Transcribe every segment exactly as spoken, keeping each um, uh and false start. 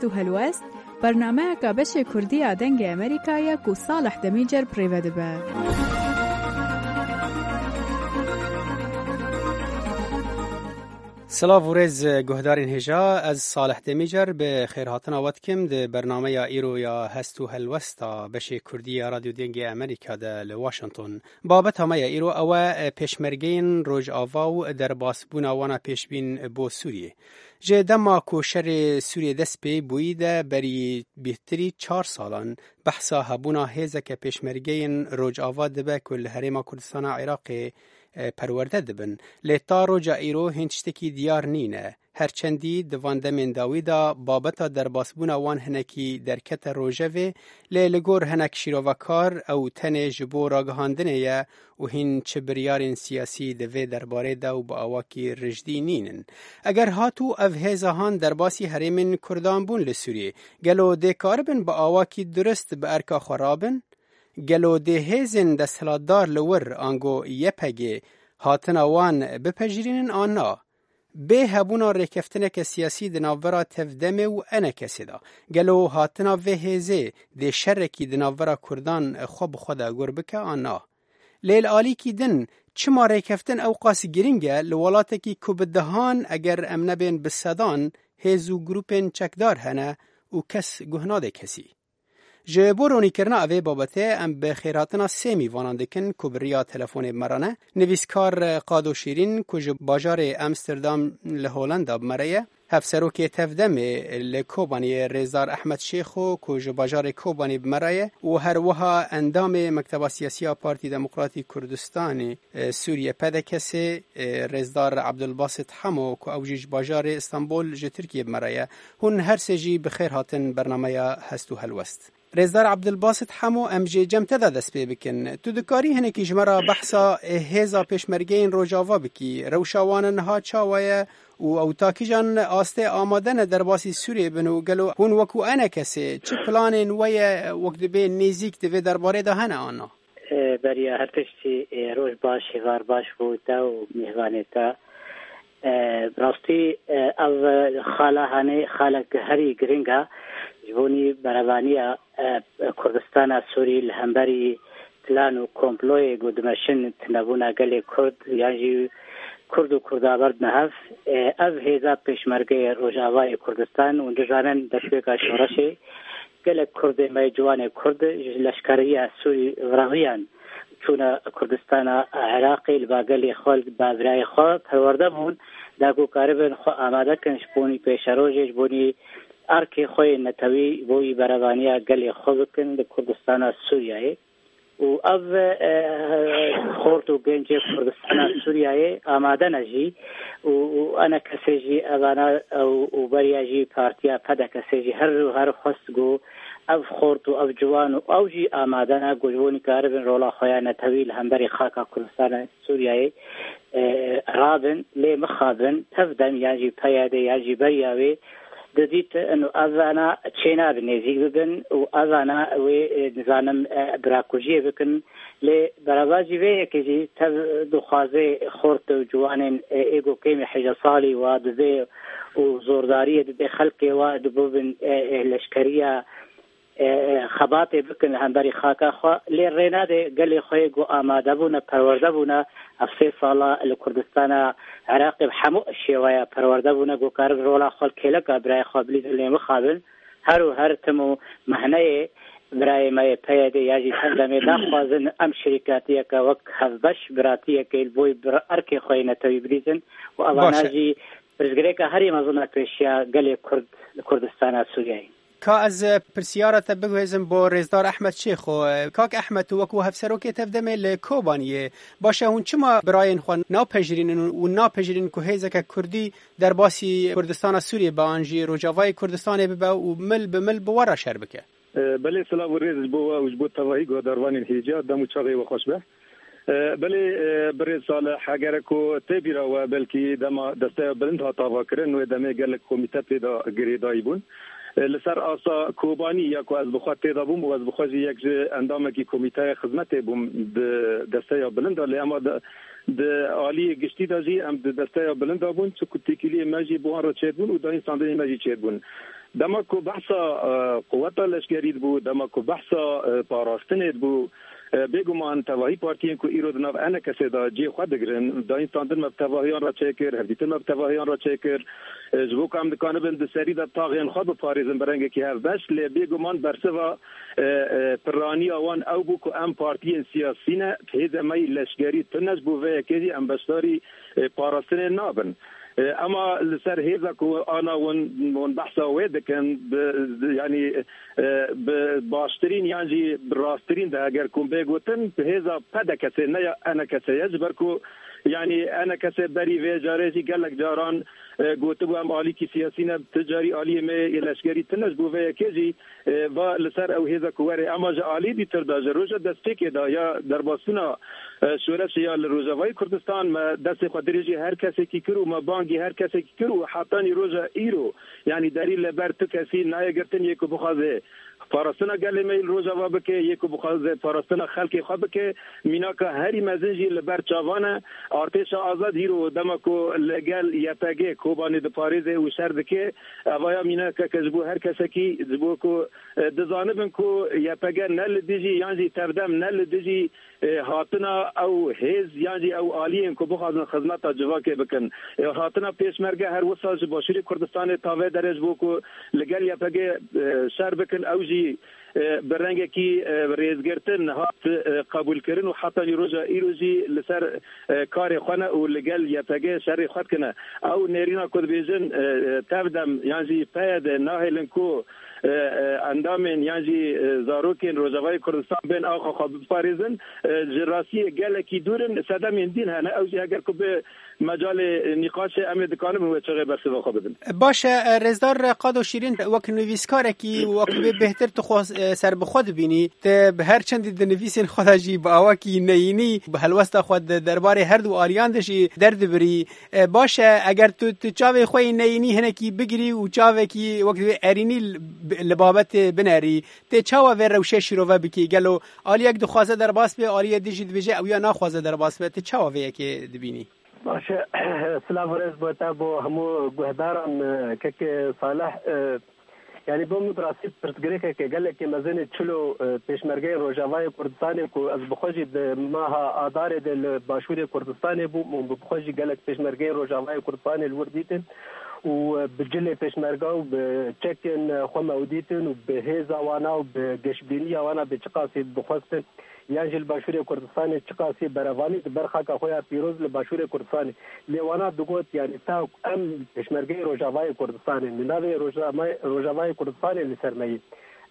Hest û Helwest, bernameyeke beşê Kurdî ya Dengê Amerîka ye ku Salih Demîcer bi rê ve dibe. Silav û rêz guhdarên hêja, ez Salih Demîcer bi xêrhatina we dikim di bernameya îro ya Hest û Helwesta beşê Kurdî ya Radyo Dengê Amerîka de li Washington. Babeta me ya îro ew e, pêşmergeyên Rojava û derbasbûna wana pêşbîn bo Sûriyê. Ji dema ku şerê Sûriyê dest pê bûyî de berî bêhtirî çar salan behsa hebûna hêzeke pêşmergeyên Rojava dibe ku li Herêma Kurdistana Iraqê, e, perwerde dibin. Lê ta roja îro hîn tiştekî diyar nîne. Her çendî di van demên dawî de babeta derbasbûna wan hinekî derkete rojevê, lê li gor hinek şîrovekar ew tenê ji bo ragihandinê ye û hîn çi biryarên siyasî di vê derbarê de û bi awakî rijdî nînin. Eger hatû ev hêza han derbasî herêmên Kurdan bûn li Sûriyê, gelo dê karibin bi awakî durist bi erka xwe rabin? Gelo dê hêzên desthilatdar li wir ango Y P G hatina wan bipejirînin an na? Bê hebûna rêkeftineke siyasî di navbera Tevdemê û E N K S'ê de, gelo hatina vê hêzê dê şerekî di navbera Kurdan xwe bi xwe de gur bike an na? Lê li alîkî din, çima rêkeftin ewqas girîng e li welatekî ku bi dehan, eger em nebên bi sedan, hêz û grûpên çekdar hene û kes guh nade kesî? Ji bo ronîkirina evê babetê em bi xêrhatina sê mîvanan dikin ku bi riya telefonê bi me re ne. Nivîskar Qado Şîrîn ku ji bajarê Amsterdam li Holanda bi me re ye. Hevserokê Tevdemê li Kobaniyê Rêzdar Ehmed Şêxo ku ji bajarê Kobanî bi me re ye û her wiha endamê Mekteba Siyasî ya Partî Demokratî Kurdistanê, e, Sûriye P D K S'ê, e, Rêzdar Abdulbasit Hemo ku ew jî ji bajarê Stenbol ji Tirkiyê bi me re ye. Hûn her sê jî bi xêr hatin bernameya Hest û Helwest. Rêzdar Abdulbasit Hemo, em jê cem te de dest pê bikin. Tu dikarî hinekî ji me re behsa, e, hêza pêşmergeyên Rojava bikî, rewşa wan niha çawa ye û ew ta kîjan astê amade ne derbasî Sûriyê bin û gelo hûn wekû E N K S'ê çi planên we ye wek dibê nêzîk di vê derbarê de hene an na? E, beriya her tiştî, e, roj baş, hêvar baş bo te û mêvanê te. E, bi rastî, e, ev xala hanê xalek herî giring e ji bo nî berevaniya, e, Kurdistana Sûrî li hemberî plan û komployê ku dimeşin tunebûna gelê Kurd yan jî Kurd û Kurda berdine hev. E, ev hêza pêşmergeyê Rojavayê Kurdistan û dizanin destpêka şoreşê gelek Kurdê me, ciwanê Kurd ji leşkeriya Sûrî viraziyan çûne Kurdistana Iraqê, li ba gelê xwe, li ba birayê xwe perwerde bûn, da ku karibin xwe amade kin ji bo nî pêşerojê, ji bo nî erkê xwe yê netewî, ji bo yî berevaniya gelê xwe bikin li Kurdistana Sûriyeyê. Û ev, e, xort û gencê Kurdistana Sûriyeyê amade ne jî û, û E N K S'ê jî evana û, û beriya jî partiya P D K S'ê jî her û her xwest ku ev xort û ev ciwan û ew jî amade ne ku ji bo nî karibin rola xwe ya netewî li hemberî xaka Kurdistana Sûriyeyê, e, rabin, lê mixabin, Tevdem yan jî P Y D yan jî beriya wê didît, ino evana çênabin nêzîk bibin û evana wê, e, nizanim, e, birakujiyê bikin. Lê beravajî vê yekê jî tev dixwaze xort û ciwanên, e, ê ku kêmî hejde salî wa dibê û zordariyê dibê xelkê wa dibûbin, e, e, leşkeriya, e, e, xebatê bikin li hemberî xaka xwe. Lê rê nade gelê xwe yê ku amade bûne, perwerde bûne, ev sê sala li Kurdistana Iraqê bi hemû şêweya perwerde bûne, ku karibin rola xwe li kêleka birayê xwe bilîzin lê mixabin. Her û her tim û mehneyê birayê me yê P Y D ya jî Tevdemê daxwazin em şirîkatiyeke wek hevbeş biratiyekê li bo bir erkê xwe yê netewî bilîzin û evana Baş e. jî pirsgirêka herî mezin e pêşiya gelê Kurd li Kurdistana Sûriyeyê. Ka ez, e, pirsiyara te biguhêzim bo Rêzdar Ehmed Şêxo. E, Kak Ehmed, tu wekû hevserokê Tevdemê li Kobaniyê, baş e, hûn çima birayên xwe napejirînin û napejirînin ku hêzeke Kurdî derbasî Kurdistana Sûriyê be an jî Rojavayê Kurdistanê bibe û mil bi mil bi we re şer bike? E, belê, silav û rêz ji bo we û ji bo tevahî guhdarvanên hêja, dem û çaxê we xweş be. E, belê, e, birêz Salih, eger ku tê bîra we, belkî dema Desteya Bilind hat avakirin, wê demê gelek komîte tê de girêdayî bûn. E, li ser asta Kobanî ya ku ez bi xwe tê de bûm û ez bi xwe jî yek ji endamekî komîteya xizmetê bûm di Desteya Bilind de, lê ema di, di aliyê giştî de jî em di Desteya Bilind de bûn, çi ku têkiliyê me jî bi wan re çêdibûn û dayîn standinên me jî çêdibûn. Dema ku behsa, e, quweta leşkerî dibû, dema ku behsa, e, parastinê dibû, e, bêguman tevahî partiyên ku îro di nav enekesê de cihê xwe digirin, dayîn standin me bi tevahiyan re çêkir, hevdîtin me bi tevahiyan re çêkir. E, ji bo ku em dikanibin di serî de taxên xwe biparêzin bi rengekî hevbeş, lê bêguman bersiva, e, e, pirraniya wan ew bû ku em partiyên siyasî ne, hêzê me yî leşkerî tune, ji bo vê yekê jî em beşdarî, e, parastinê nabin. E, ema li ser hêza ku ana hûn, hûn behsa wê dikin, bi, yanî, e, bi baştirîn yan jî bi rasttirîn de eger ku bê gotin, bi hêza P D K S ne ya E N K S ye, ji ber ku, yanî, E N K S berî vê carê jî gelek caran, e, gotibû, em alîkî siyasî ne, tu carî aliyê me yê leşkerî tune, ji bo vê yekê jî, e, va li ser ew hêza ku were. Ema ji alî dîtir de, ji roja destpêkê de ya derbasbûna, e, şoreşê ya li Rojavayê Kurdistan, me destê xwe dirêjî her kesekî kir û me bangî her kesekî kir û hetanî roja îro, yanî derî li ber tu kesî nayê girtin, yê ku bixwaze parastina gelê me yî li Rojava bike, yê ku bixwaze parastina xelkê xwe bike, mînaka herî mezin jî li ber çavan e. Artêşa Azad hîro dema ku li gel Y P G Kobanê diparêze û şer dike, evaya mînakeke ji bo her kesekî, ji bo ku, e, dizanibin ku Y P G ne li dijî yan jî tevdem ne li dijî, e, hatina ew hêz yan jî ew aliyên ku bixwazin xizmeta civakê bikin. E, hatina pêşmerge her wisa ji Başûrê Kurdistanê tavê derê ji bo ku li gel Y P G, e, şer bikin, ew jî, e, bi rengekî, e, rêzgirtin hat, e, qebûlkirin û hetanî roja îro jî li ser, e, karê xwe ne û li gel Y P G şerê xwe dikine. Ew nêrîna ku dibêjin, e, e, tevdem yan jî P Y D nahêlin ku, e, e, endamên yan jî, e, zarokên Rojavayê Kurdistan bên axa xwe biparêzin, e, ji rastiyê gelekî dûr in, sedemên din hene. Ew jî heger ku bi mecalê nîqaşê em ê dikarin wê çaxê bersiva xwe bidin. Baş e, Rêzdar Qado Şîrîn, wek nivîskarekî, wek wê bêhtir tu xwe, e, serbixwe dibînî, tu bi her çendî di nivîsên xwe de jî bi awakî neyînî, bi helwesta xwe di derbarê her du aliyan de jî derdibirî. E, baş e, eger tu, tu çavê xwe yê neyînî hinekî bigirî û çavekî wek wê erînî li, li babetê binerî, tê çawa vê rewşê şîrove bikî? Gelo aliyek dixwaze derbas be, aliyê din jî dibêje ew ya naxwaze derbas be, tu çawa vê yekê dibînî? Baş e, silav û rêz bo te, bo hemû guhdaran, e, kek Salih, e, yanî bo min bi rastî pirsgirêkeke gelekî mezin e, çilo, e, pêşmergeyên Rojavayê Kurdistanê ku ez bi xwe jî di meha Adarê de li Başûrê Kurdistanê bûm û bi xwe jî gelek pêşmergeyên Rojavayê Kurdistanê li wir dîtin û, e, bi cilê pêşmerga û bi çekên, e, xwe me ew dîtin û bi hêza wana û bi geşbîniya wana bi çiqasî dixwestin. Yan jî li Başûrê Kurdistanê çiqasî berevanî di ber xaka xwe ya pîroz li Başûrê Kurdistanê. Lê wana digot, yanî ta em pêşmergeyê Rojavayê Kurdistanê, li navê Rojavayê, Rojavayê Kurdistanê li ser me yê.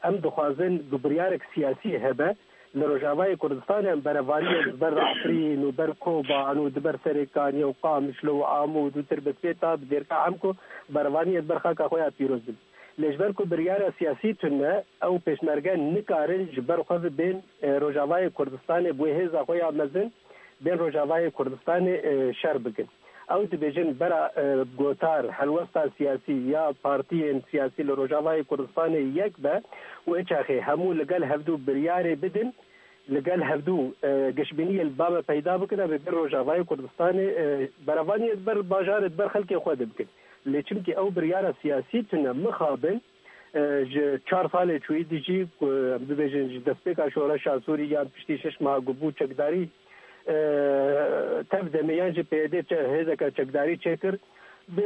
Em dixwazin ku biryarek siyasî hebe, li Rojavayê Kurdistanê em berevaniyê di ber Efrîn û ber Koban û di ber Serêkaniyê û Qamişlo û Amûd û Tirbetpê ta bi dêrka em ku berevaniyê di ber xaka xwe ya pîroz bin. Lê ji ber ku biryara siyasî tune, ew pêşmerge nikarin ji ber xwe ve bên, e, Rojavayê Kurdistanê, bi wê hêza xwe ya mezin, bên Rojavayê Kurdistanê, e, şer bikin. Ew dibêjin bera, e, gotar, helwesta siyasî ya partiyên siyasî li Rojavayê Kurdistanê yek be û eçaxê hemû li gel hevdû biryarê bidin, li gel hevdû, e, gişbîniyê li ba me peyda bikin, em ê bin Rojavayê Kurdistanê, e, berevaniyê di ber bajarê, di ber xelkê xwe de bikin. Lê çimkî ew biryara siyasî tune mixabin, e, ji çar salê çûyî dijî, ku em bibêjin ji destpêka şoreşa Sûrî yan piştî şeş meha ku bû çekdarî, e, tev demê yan jî P Y D çe-, hêzeke çekdarî çêkir, bi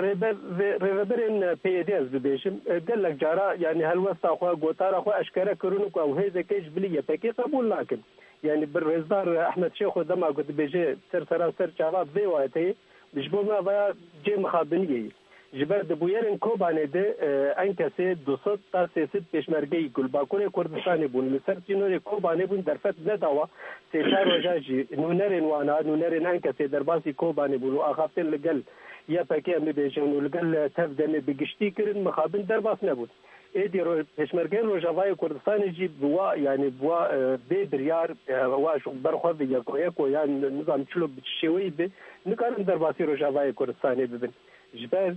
rêber-, rê-, rêveberên P Y D ez bibêjim, e, gelek cara, yanî helwesta xwe, gotara xwe eşkere kirin ku ew hêzekê ji bilî Y P G qebûl nakin. Yanî bi rêzdar Ehmed Şêxo dema ku dibêje ser sera ser çava vê wayeteyê, ji bo me vaya cê mixabiniyê ye. Ji ber di bûyerên Kobanê de, e, enkesê du sed ta sê sed pêşmergeyî ku li Bakurê Kurdistanê bûn, li ser sînorê Kobanê bûn, derfet nedawa. Sê çar roja jî nûnerên wana, nûnerên enkesê derbasî Kobanê bûn û axaftin li gel Y P G em bibêjin û li gel tev demê bi giştî kirin, mixabin derbas nebûn. Êdî ro-, pêşmergeyên Rojavayê Kurdistanê jî bi wa, yanî bi wa, e, bê biryar, e, wa ji ber xwe bi yeko yeko yan nizam çilo bi çi şêweyî bi, nikarin derbasî Rojavayê Kurdistanê bibin. Ji ber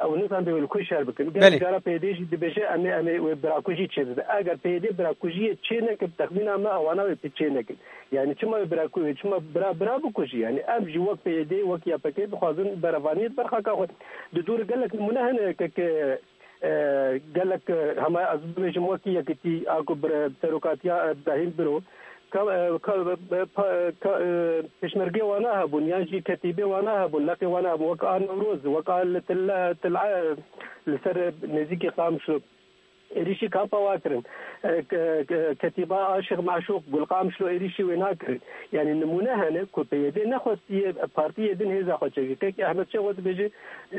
ew nizam bi wê li ku şer bikin. Gelek Belê. cara P Y D jî dibêje em ê, em ê wê birakujî çêbibe. Eger P Y D birakujiyê çê neke, bi texmîna me ewana wê pê çê nekin. Yanî çima wê biraku-, çima bira, bira bikujî? Yanî em jî wek P Y D, wek Y P G dixwazin berevaniyê di ber xaka xwe. Di dûr gelek nimûne hene ke, ke E, gelek, e, hema ez bibêjim wekî yekîtî a ku bir-, serokatiya, e, Brahîm Biro, ka, e, ka, e, pa, e, ka, e, pêşmergê wana hebûn, yan jî ketîbê wana hebûn, leqê wana hebûn, wek a Newroz, wek a li Til-, Til-, li ser nêzîkî Qamişlo. Êrîşî kampa wa kirin. E, ke-, ke-, ketîba Aşiq Meşûq, Gulqamişlo êrîşî wê nakirin. Yanî nimûne hene ku P Y D nexwestiye partiyê din hêza xwe çêke. Kek Ehmed Şêxo dibêje,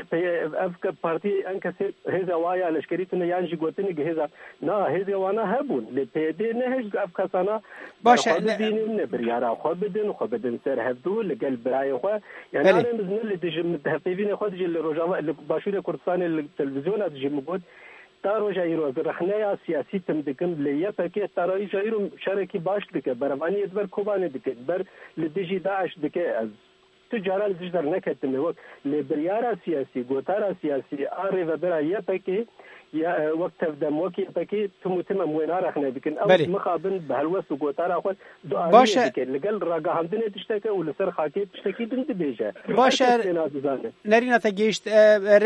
P-, ev ke-, partiyê enkesê hêza wa ya leşkerî tune yan jî gotinik hêza. Na, hêzê wana hebûn. Lê P Y D nehişt ev kesana Baş e, berxwe ne- bibînin, ne biryara xwe bidin, xwe bidin ser hevdû li gel birayê xwe. Yani Belê. Arê min ne li dijî min hevpeyvînê xwe dijî li Rojava, li Başûrê Kurdistanê li televîzyona dijî min got, ta roja îro ez rexneya siyasî tim dikim, lê Y P G ta roja îro şerekî baş dike, berevaniyê di ber Kobanê dike, di ber li dijî DAIŞ dike. Ez tu cara li dijî derneketime wek lê biryara siyasî, gotara siyasî a rêvebera Y P G ya, e, wek tevdem, wek Y P G tim û tim em wê narexne dikin. Ew Belê. Mixabin bi helwest û gotara xwe Baş e. Dike. Li gel ragihandinê tişteke û li ser xakê tiştekî din dibêje. Baş e. Her kes têna dizane. Nerîna te gihişt. E,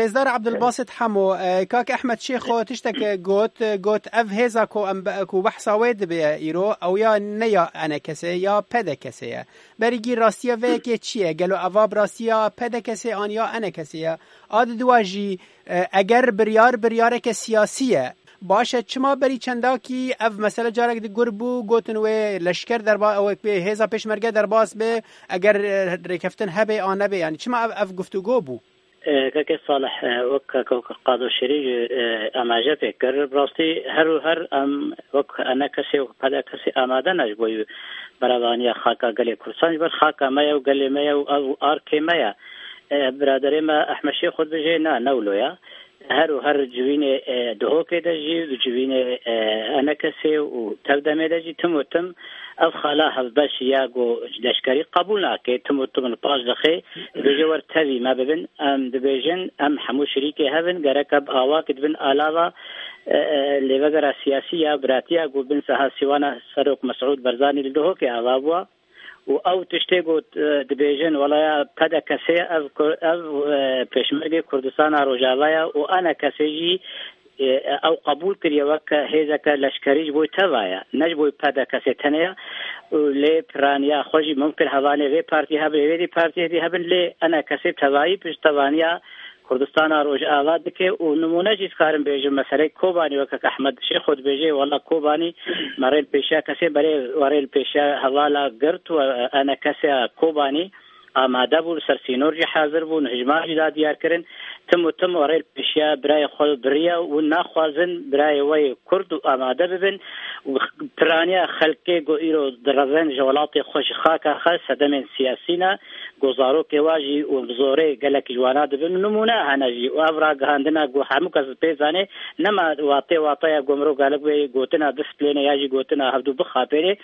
Rêzdar Abdulbasit Hemo, e, kak Ehmed Şêxo tişteke got, e, got, ev hêza ku em be-, ku behsa wê dibe îro, ew ya ne ya enekesê, ya pedekesê ye. Berî gî rastiya vê yekê çi ye? Gelo eva bi rastiya pedekesê an ya enekesê ye? A di dua jî, e, eger biryar, biryareke siyasî ye, Baş e, çima berî çendakî ev mesele carek di gur bû, gotin wê leşker derba-, wê, wê hêza pêşmerge derbas be, eger, e, rêkeftin hebe an nebe, yani çima ev, ev guftûgo bû? E, kekê Salih, e, wek, wek Qado Şêrî, e, amaje pê kir. Bi rastî her û her em wek enekesê û pedekesê amade ne ji bo berevaniya xaka gelê Kurdistan, ji ber xaka me ye û gelê me ye û ev arkê me ye. E, biraderê me Ehmed Şêxo dibêje, na, ne wilo ye. Her û her civînê, e, Duhokê de jî, civînê, e, Enekesê û Tevdemê de jî tim û tim ev xala hevbeş ya ku leşkerî qebûl nake, tim û tim li paş dixe, dibêje wer tevî me bibin, em dibêjin, em hemû şirîkê hev in, gerek e bi awakî dibin alava, e, e, lêvegera siyasî ya biratiya ku bin Seha Sîwana Serok Mesûd Barzanî li Duhokê ava bûa. Û ew tiştê ku, e, dibêjin, wela ya PDKSê ev ku-, ev, e, pêşmergê Kurdistana Rojava ye û ENKSê jî, e, ew qebûl kiriye wek hêzeke leşkerî ji bo teva ye, ne ji bo PDKSê tenê ye. Û lê piraniya xwe jî mumkin hevalê vê partiyê hebin, vê dî partiyê dî hebin, lê ENKSê tevayî piştevaniya Kurdistana Rojava dike û nimûne jî dikarim bêjim, meseleyê Kobanî weke Ehmed Şêxo dibêje, wela Kobanî me rê li pêşiya kesê berê we rê li pêşiya hevala girt û ENKSê Kobanî amade bû, li ser sînor jî hazir bû, hijmar jî da diyar kirin. Tim û tim we rê li pêşiya birayê xwe biriye û naxwazin birayê we yê Kurd û amade bibin. Û piraniya xelkê ku îro direvin ji welatê xwe, ji xaka xwe, sedemên siyasî ne, ku zarokê wa jî û bi zorê gelek ji wana dibin. Nimûne hene jî û ev ragihandina ku hemû kes pê zanê, nema watê wataya ku mirov galek wê gotina disiplinê ya jî gotina hevdû bixapêrê.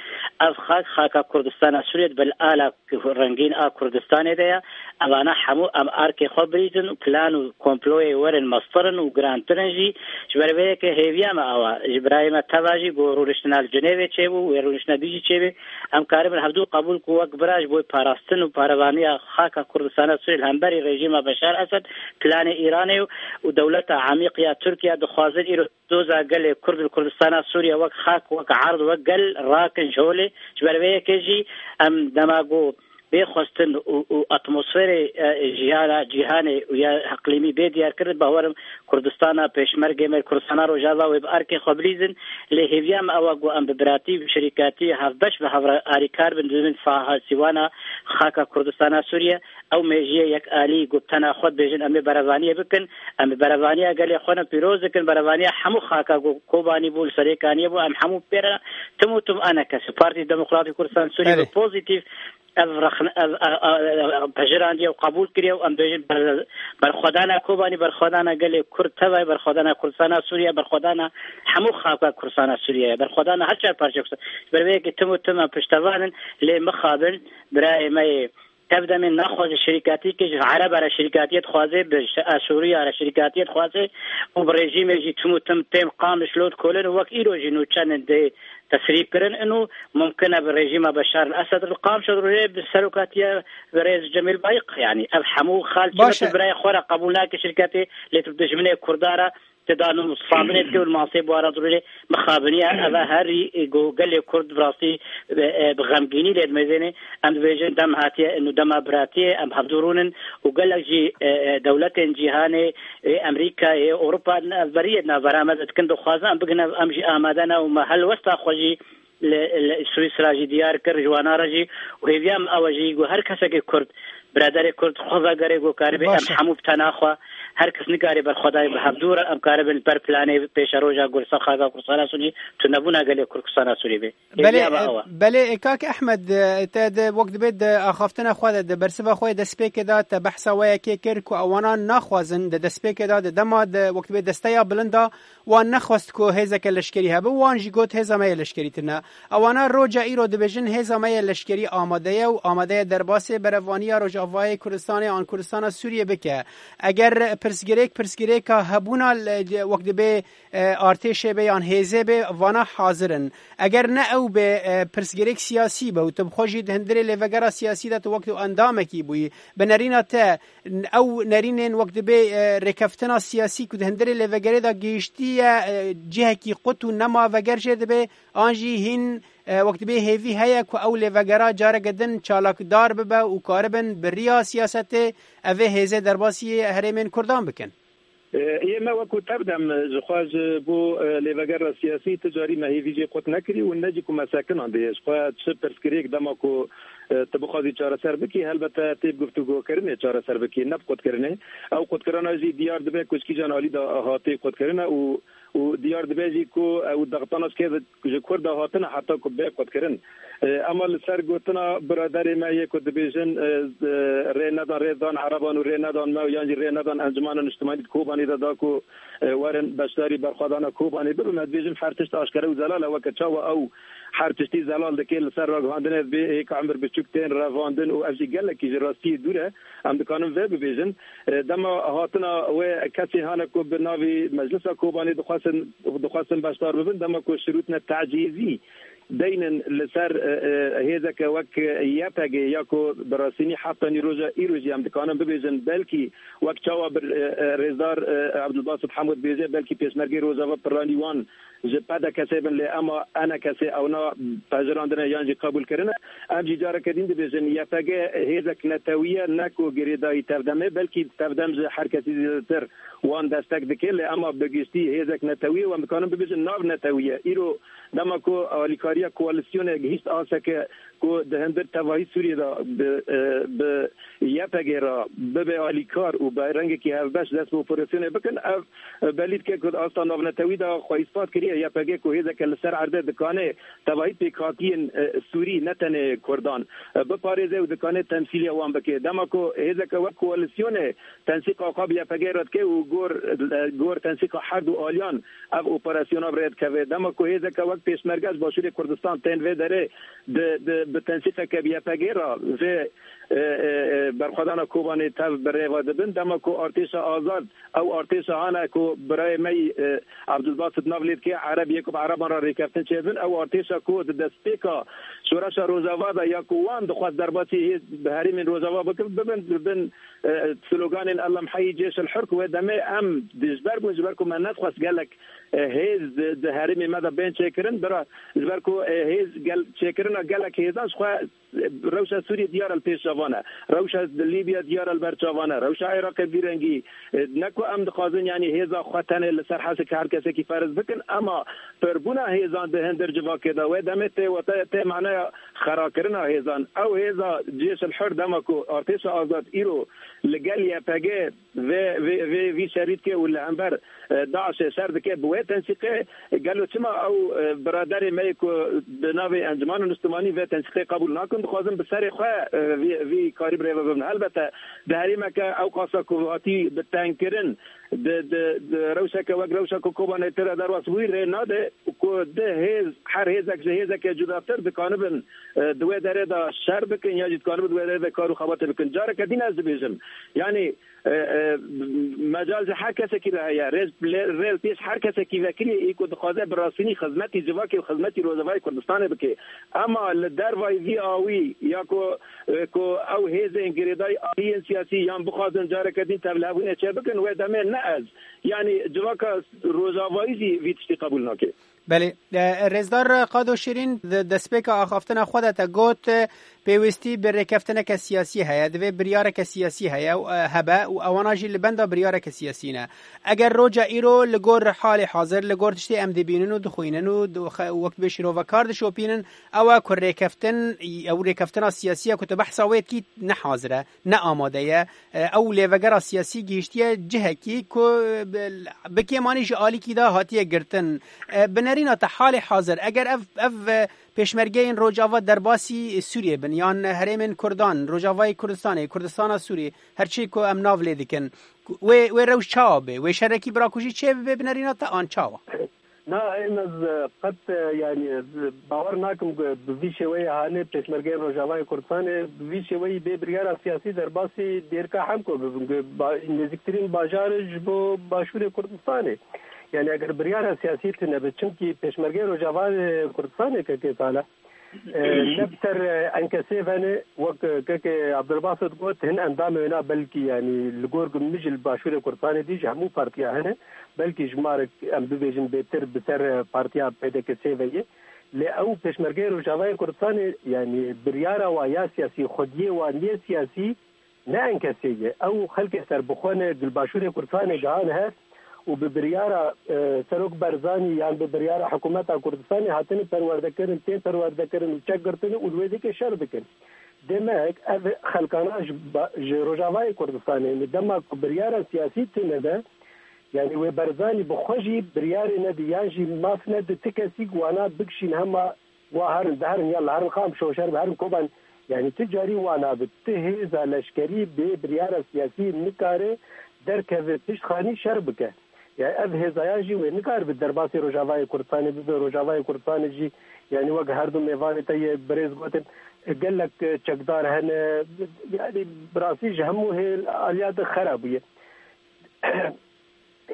Ev xak, xaka Kurdistana Sûriyê dibe li ala rengîn a Kurdistanê de ye. Evana hemû em arkê xwe birîzin û plan û komployê werin meztir in û girantir in jî. Ji ber vê yekê hêviya me awa, ji birayê me teva jî ku rûniştina li Cinêvê çêbû, wê rûniştina dî jî çêbê. Em karibin hevdû qebûl ku wek bira ji bo parastin û parevaniya xaka Kurdistana Sûriyê li hemberî rejîma Beşar Esed, planê Îranê û, û dewleta emîq ya Tirkiye dixwazin îro doza gelê Kurd li Kurdistana Sûriye wek xak, wek erd, wek gel rakin ji holê. Ji ber vê yekê jî em dema ku bê xwestin û, û atmosferê, e, jiyana cîhanê û ya iqlîmî bê diyarkirin, bawerim Kurdistana pêşmergê me, Kurdistana Rojava wê bi arkê xwe bilîzin. Lê hêviya me ew e ku em bi biratî, bi şirîkatî, hevbeş bi hev re alîkar bin, dibin saha sîwana xaka Kurdistana Sûriye. Ew mêjiyê yekalî ku bi tena xwe dibêjin, em ê berevaniyê bikin, em bi berevaniya gelê xwe ne pîroz dikin, berevaniya hemû xaka ku Kobanî bû, li Serêkaniyê bû, em hemû pê re tim û tim ENKS, Partî Demokratîk Kurdistan Sûriyê Belê. Bi pozîtîf ev rexne-, ev, ev, ev, ev pejirandî ew qebûl kiriye û em dibêjin ber-, berxwedana Kobanî, berxwedana gelê Kurd, tevayî berxwedana Kurdistana Sûriye, berxwedana hemû xaka Kurdistana Sûriye, berxwedana her çar parçeya Kurdistan. Ji ber vê yekê tim û tim em piştevan in, lê mixabin birayê me yê Tevdemê naxwaze şirîkatî ke ji Ereba re şirîkatiyê dixwaze, bi şi-, Asûriya re şirîkatiyê dixwaze û bi rejîmê jî tim û tim tên Qamişlo dikolin û wek îro jî nûçenin dê tesrîb kirin. Ino mumkin e bi rejîma Beşar el Esed li Qamişlo rê bi serokatiya birêz Cemîl Bayik, yanî ev hemû xal Baş e. Birayê xwe re qebûl nake şirîkatê, lê tu dijminê Kurda re Dano Mustafa Binê dikê û li masê bi wara dirûrê mixabiniye. Eve herî, e, go gelê Kurd bi rastî, e, e, bi xemgînî lê dimêzênê. Em dibêjin dem hatiye, û dema biratiyê, em hevdû rûnin û gelek jî, e, e, dewletên cîhanê, e, Amerîka, e, Ewropa, ne, beriyê navbera me dikin, dixwazin em bigin, em jî amade ne û me helwesta xwe jî li, li Swîsra jî diyar kir, ji wana re jî û hêviya min ew e jî ku her kesekî Kurd, biraderê Kurd xwe vegerê ku karibe em Baş e. hemû bi tena xwe, her kes nikarê berxwedayê bi hevdû re em karibin li ber planê pêşeroja Kurdistan, xaka Kurdistana Sûrî, tunebûna gelê Kurdistana Sûrî bê. Belê, Hêviya me ew e. belê, e, kak Ehmed, e, te de wek dibê de axaftina xwe de, de bersiva xwe yê destpêkê de te behsa wê yekê kir ku ewana naxwazin de destpêkê de, de dema de wek dibê desteya bilinda wan nexwest ku hêzeke leşkerî hebe, wan jî got hêza me yê leşkerî tune. Ewana roja îro dibêjin hêza me yê leşkerî amade ye û amade ye derbasê berevaniya Rojavayê Kurdistanê an Kurdistana Sûriyê bike. Eger pirsgirêk, pirsgirêka hebûna le-, wek dibê, e, artêşê be yan hêzê be, vana hazir in. Eger ne ew be, e, pirsgirêk siyasî be û tu bi xwe jî di hundirê lêvegera siyasî de tu wek tu endamekî bûyî, bi nerîna te ew nerînên wek dibê, e, rêkeftina siyasî ku di hundirê lêvegerê de gihiştiye, e, cihekî qut û nema veger jê dibe, an jî hîn, e, wek dibê hêvî heye ku ew lêvegera careke din çalakdar bibe û karibin bi riya siyasetê evê hêzê derbasî herêmên Kurdan bikin? E, yê me wekû tev dem, e, ji xwe ji bo, e, lêvegera siyasî ti carî me hêvî jê qut nekirî û ne jî ku me sekinandê. Ji xwe çi pirsgirêk dema ku, e, tu bixwazî çareser bikî, helbete tê bi guftûgokirinê çareser bikî, ne bi qutkirinê. Ew qutkirina jî diyar dibe ku ji kîjan alî de hatê qutkirin e û, û diyar dibe jî ku ew dextana ji kê ji Kurda hatine heta ku bê qutkirin. E, ema li ser gotina biraderê me yê ku dibêjin, e, e, rê nedan, rê dan Ereban û rê nedan me û yan jî rê nedan Encumena Niştimanî di Kobanê de da ku, e, werin beşdarî berxwedana Kobanê bibin. Me dibêjin her tişt aşkere û zelal e, weke çawa ew her tiştî zelal dike, li ser ragihandinê dibê hêka Emir Biçûk tên revandin û ev jî gelekî ji rastiyê dûr e. Em dikarin vê bibêjin. E, dema hatina wê kesê hane ku bi navê Meclisa Kobanê dixwestin, dixwestin beşdar bibin, dema ku şirûtine tecîzî deynin li ser, e, e, hêzeke wek Y P G ya ku bi rastînî heta nîroja îro jî em dikarin bibêjin, belkî wek çawa bir, e, e, rêzdar, e, Abdulbasit Hemû dibêje, belkî pêşmergê Rojava piranî wan ji P D K S bin, lê ema E N K S ewna pejirandine yan jî qebûl kirine. Em jî careke din dibêjin, Y P G hêzek netewî ye, ne ku girêdayî tevdem e, belkî tevdem ji her kesî zêdetir wan destek dike, lê ema bi giştî hêzek netewî ye, em dikarin bibêjin nav netewî ye. Îro dema ku alîkariya koalîsyonê gihîşt aseke ku di hundir tevahî Sûriyê de bi, e, bi Y P G re bibe alîkar û bi rengekî hevbeş dest bi operasyonê bikin, ev, e, belî dike ku di asta navnetewî de xwe îspat kiriye Y P G ku hêzeke li ser erdê dikane tevahî pêkhatiyên, e, Sûrî, ne tenê Kurdan, e, biparêze û dikane temsîliya wan bike. Dema ku hêzeke wek koalîsyonê tensîqa xwe bi Y P G re dike û gor, e, gor tensîqa her du aliyan ev operasyona bi rê dikeve. Dema ku hêzeke wek pêşmerge ji Başûrê Kurdistan tên vê derê di, di, bi tensîqeke bi Y P G re vê, e, e, e, berxwedana Kobanê tev bi rê ve dibin. Dema ku artêşa azad, ew artêşa hane ku birayê me yî, e, Abdulbasit nav lê dike, Ereb yê ku bi Ereban re rêkeftin çêdibin, ew artêşa ku di destpêka şoreşa Rojava de ya ku wan dixwest derbasî hê-, bi herêmên Rojava bikin, bibin, bibin, e, sloganên Elem heyî cêş el hur ku wê demê em dijber bûn, ji ber ku me nedixwest gelek, e, hêz di, di herêmê me de bên çêkirin, bira ji ber ku, e, hêz gel-, çêkirina gelek hêzan ji xwe, e, rewşa Sûriyê diyar e li pêş çavan e, rewşa Lîbya diyar e li ber çavan e, rewşa Iraqê vî rengî, e, ne ku em dixwazin, yanî hêza xwe tenê li ser hesek her kesekî ferz bikin, ema pirbûna hêzan di hindir civakê de wê demê tê wate, tê maneya xerakirina hêzan. Ew hêza cêş el hur dema ku artêşa azad îro li gel Y P G vê, vê, vê, vî şerî dike û li hember, e, DAIŞê şer dike bi wê tensîqê, gelo çima ew, e, biraderê me yê ku bi navê Encumana Niştimanî vê tensîqê qebûl nakin, dixwazin bi serê xwe, e, vî, vî karî bi rê ve bibin. Helbete di herêmeke ew qasa ku hatî bi tengkirin, di, di, di rewşeke wek rewşa ku Kobanê tê re derbas bûyî rê nade ku di hêz, her hêzek ji hêzeke cudatir dikanibin, e, di wê derê de şer bikin ya jî dikanibin di wê derê de kar û xebatê bikin. Careke din ez dibêjim, yanî, e, e, mecal ji her kesekî re heye, rê, lê, rê li pêş her kesekî vekirî ê ku dixwaze bi rastînî xizmetî civakê û xizmetî Rojavayê Kurdistanê bike. Ema li dervayî vî awî ya ku, e, ku ew hêzên girêdayî aliyên siyasî yan bixwazin careke din tevlihebûnê çêbikin, wê demê ne ez. Yanî civaka Rojavayî jî vî tiştî qebûl nake. Belê, e, Rêzdar Qado Şirîn, di destpêka axaftina xwe de te got, e, pêwîstî bi rêkeftineke siyasî heye, divê biryareke siyasî heye, e, hebe û ewana jî li benda biryareke siyasî ne. Eger roja îro li gor halê hazir, li gor tiştê em dibînin û dixwînin û di-, xe-, wek dibê şîrovekar dişopînin, ew e ku rêkeftin, ew rêkeftina siyasî ye ku tu behsa wê dikî ne hazir e, ne amade ye. E, ew lêvegera siyasî gihiştiye cihekî ku bi, bi kêmanî ji alîkî de hatiye girtin. E, bi nerîna te halê hazir, eger ev, ev, e, pêşmergeyên Rojava derbasî Sûriyê bin, yan herêmên Kurdan, Rojavayê Kurdistanê, Kurdistana Sûrî, her çi ku em nav lê dikin, wê, wê rewş çawa bê? Wê şerekî birakujî çê bibe bi nerîna te an çawa? Na, em ez, e, qet, e, yanî, e, bawer nakim ku bi vî şêweyê hanê pêşmergeyên Rojavayê Kurdistanê bi vî şêweyî bê biryara siyasî derbasî Dêrika Hemko bibin, ku ba-, nêzîktirîn bajar ji bo Başûrê Kurdistanê. Yanî eger biryara siyasî tune be, çimkî pêşmergeyên Rojavayê Kurdistanê kekê sala, e, ne bi ser, e, enkesê ve ne, wek, e, kekê Abdulbasit got, hin endamê wêna belkî, yanî li gor ku min jî li Başûrê Kurdistanê dî ji hemû partiya hene, belkî ji ma re em bibêjin bêtir bi ser, e, partiya P D K S ve ye. Lê ew pêşmergeyê Rojavayê Kurdistanê, yanî biryara wa ya siyasî, xwediyê wa nê siyasî, ne enkesê ye. Ew xelkê serbixwe ne, li Başûrê Kurdistanê gihane hev û bi biryara, e, Serok Barzanî yan bi biryara hikûmeta Kurdistanê hatine perwerdekirin, tên perwerdekirin û çek girtine û li wê dikê şer dikin. Demek ev xelkana ji ba-, ji Rojavayê Kurdistanê, li dema ku biryara siyasî tune be, yanî wê Barzanî bi xwe jî biryarê nedi, yan jî maf nedi ti kesî ku wana bikişîn hema wa herin, diherin, yalla herin Qamişlo, şer bi herin Koban. Yanî ti carî wana bi ti hêza leşkerî bê biryara siyasî nikare derkeve piştxanî şer bike. Ya ev hêzayan jî wê nikaribe derbasî Rojavayê Kurdistanê bibe. Rojavayê Kurdistanê jî, yanî wek her du mêvanê te yê birêz gotin, gelek çekdar hene. Yanî bi rastî ji hemû hêl aliya de xera bûye.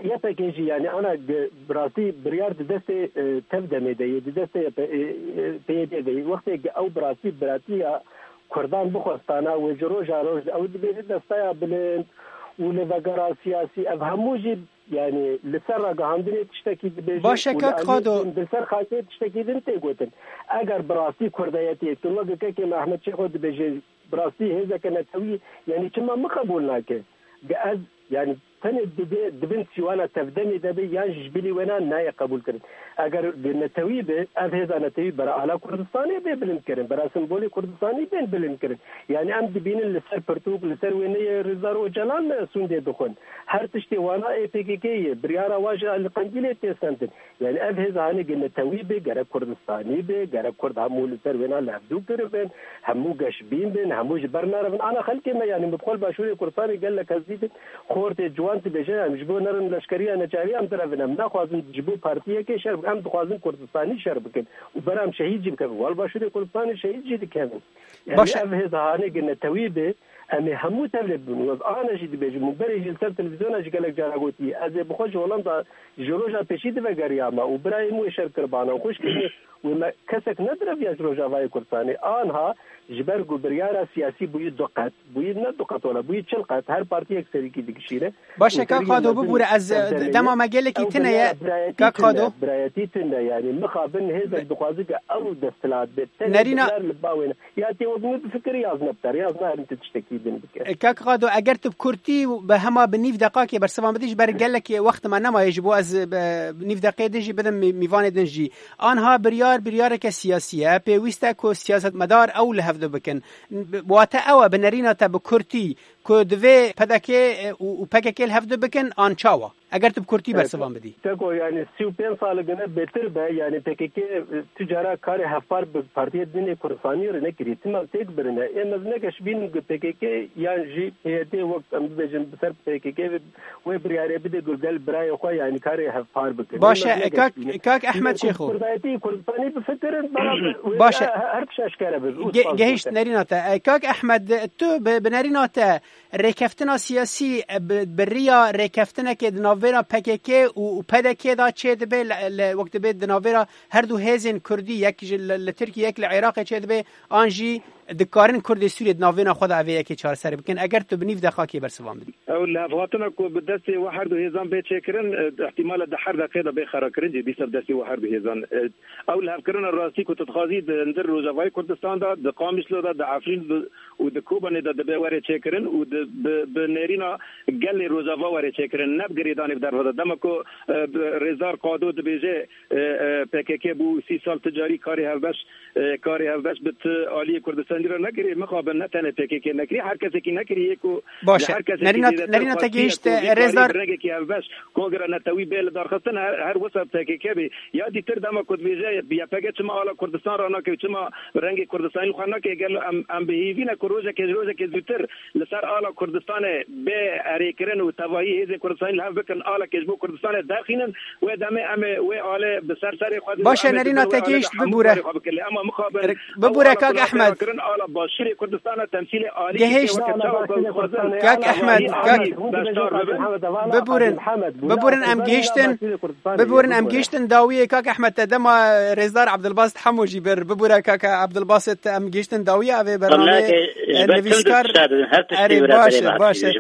Y P G jî, yanî ana ge-, bi rastî biryar di destê, e, tev demê de yê, di destê Y P, e, e, P Y D de yê. Wextê ge ew bi rastî biratiya Kurdan bixwestana, wê ji roja roj de ew dibêje destaya bilind û lêvegera siyasî, ev hemû jî, yanî li ser ragihandinê tiştekî dibêje. Baş e, û li kak aliyê Qado din, li ser xakê tiştekî din tê gotin. Eger bi rastî kurdayetiyê tu weke kekê me Ehmed Şêxo dibêje, bi rastî hêzeke netewî, yanî çima min qebûl nake? Ge ez, yanî tenê dibê, di bin sîwana tevdemê de be, yan jî ji bilî wêna nayê qebûl kirin. Eger netewî be, ev hêza netewî bera ala Kurdistanê bê bilind kirin, bera simbolê Kurdistanî bên bilind kirin. Yanî em dibînin li ser pirtûk, li ser wêneyê Rêzdar Ocalan sûndê dixwin. Her tiştê wana ê P K K ye, biryara wa ji Elî Qendîlê tê sendin. Yanî ev hêz hanê ge netewî be, gerek Kurdistanî be, gerek Kurd hemû li ser wêna li hevdû kiribin, hemû geşbîn bin, hemû ji ber nerevin. Ana xelkê me, yanî min bi xwe li Başûrê Kurdistanê gelek hezî bin. Xortê ciwan dibêje, em ji bo nerin leşkeriya neçariya em direvin, em naxwazin ji bo partiyekê şer bikin, em dixwazin Kurdistanî şer bikin. Û bera em şehîd jî bikevin. Wal Başûrê Kurdistanê şehîd jî dikevin. Yanî baş e. Ev hêz hanê ge netewî be, em ê hemû tevlê bibin. Û ez ana jî dibêjim, û berê jî li ser televîzyona jî gelek cara gotiye. Ez ê bi xwe ji Holanda ji roja pêşî divegeriyama û birayê min wê şer kiribana û xwişkê min wê me kesek nedireviya ji Rojavayê Kurdistanê. Anha ji ber ku biryara siyasî bûyî du qet, bûyî ne du qet wala, bûyî çil qet, her partiyek serîkî dikişîne. Baş e, û kak Qado, bibûre, ez, e, dema me gelekî tune ye, kak Qado. Birayetî tune, yanî mixabin hêzek dixwaze ke ew desthilat bê. Tenê nerîna biryar li ba wê ne. Ya tê wek min bifikir, yaz nebter, yaz narin tu tiştekî din bike. E, kak Qado, eger tu bi kurtî û bi hema bi nîv deqakê bersivan bidî, ji ber gelekê wext me nemaye ji bo ez, e, nîv deqê din jî bidim mî-, mîvanê din jî. Anha biryar, biryareke siyasî ye. Pêwîst e ku siyasetmedar ew li hevdu bikin. Wate ew e, bi nerîna te bi kurtî, ku divê P D K û, û P K K li hevdu bikin, an çawa? Eger tu bi kurtî bersivan bidî. Teko, yanî sî û pênc sal gine bêtir be, yanî P K K tu cara karê hevpar bi partiyê din ê Kurdistanî re nekiriye. Tim em têk birine. Êm ez ne geşbînim ku P K K yan jî P Y D wek em bibêjin bi ser P K K ve wê biryarê bide ku gel birayê xwe, yanî karê hevpar bikin. Baş e, kak, kak Ehmed Şêxo. Kurdayetî Kurdistanî bifikirin, beraber baş e. Her tişt eşkere be. Ge-, gehişt nerîna te. E, kak Ehmed, tu bi, bi nerîna te rêkeftina siyasî, e, bi, bi riya rêkeftinekê di navbera P K K û, û P D K de çê dibe, li, li, wek dibe di navbera her du hêzên kurdî, yek ji li, li Tirkiyê, yek li Iraqê çê dibe, an jî Dikarin Kurdê Sûriyê di navbêna xwe de ev ê yekê çareserî bikin, eger tu bi nîv deqakê bersivan bidî. Ew lihevhatina ku bi destê we her du hêzan bê çêkirin, e, ihtimale di her deqê de bê xerakirin jî dîsa bi destê we her du hêzan. E, ew lihevkirina rastî ku tu dixwazî di hundir Rojavayê Kurdistan de, di Qamişlo de, di Efrîn de û di Kobanê de dibe were çêkirin û di, bi, bi nêrîna gelê Rojava were çêkirin, ne bi girêdanê bi derve de. Dema ku, e, bi, Rêzdar Qado dibêje, e, e, P K K bû sî sal ti carî karê hevbeş, e, karê hevbeş bi ti aliyê Kurdistanî re nekirî, mixabin ne tenê P K K nekirî, her kesekî nekirî yê ku Baş e. Her kesekî Nerîna, dê de nerîna te tev xwestiye gihişt, e, Rêzdar Kongreya Netewî bê li darxistin, her, her wisa P K K bê. Ya dîtir dema ku dibêje Y P G çima ala Kurdistan re nake û çima rengê Kurdistanî li xwe nake, gelo em, em bi hêvî ne ku rojekê ji rojekê zûtir li ser ala Kurdistanê bê erêkirin û tevahî hêzên Kurdistanî li hev bikin, alekê ji bo Kurdistanê derxînin, wê demê em ê wê alê bi ser serê xwe Baş e, Nerîna te gihişt, bibûre. Bibûre, kak Ehmed. Kirin ala Başûrê Kurdistana temsîlê alî Gihişt. Kak Ehmed, kak Biburin, biburin em gihiştin, biburin em gihiştin dawiyê. Kak Ehmed, te dema Rêzdar Abdulbasit Hemo jî bir. Bibure kak Abdulbasit, em gihiştin dawiya evê bernameyê. Nivîskar, erê, baş e, baş e.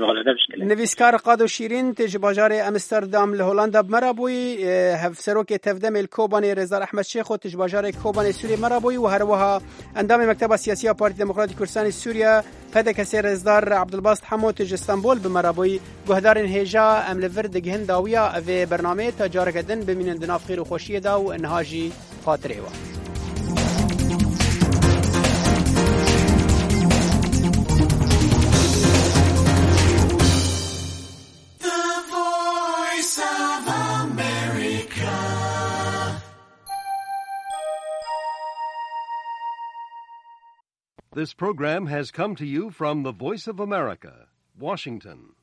Nivîskar Qado Şîrîn, tê ji bajarê Amsterdam li Holanda bi me re bûyî, e, hevserokê Tevdemê li Kobanê Rêzdar Ehmed Şêxo, tê ji bajarê Kobanê Sûrê me re bûyî û herwiha endamê Mekteba Siyasî ya Partî Demokratî Kurdistanê Sûriye, P D K S, Rêzdar Abdulbasit Hemo, tê ji Stenbol bi me re bûyî. Guhdarên hêja, em li vir digihin dawiya evê bernameyê, ta careke din bimînin di nav xêr û xweşiyê de û niha jî xatirê we. The Voice of America. This program has come to you from the Voice of America, Washington.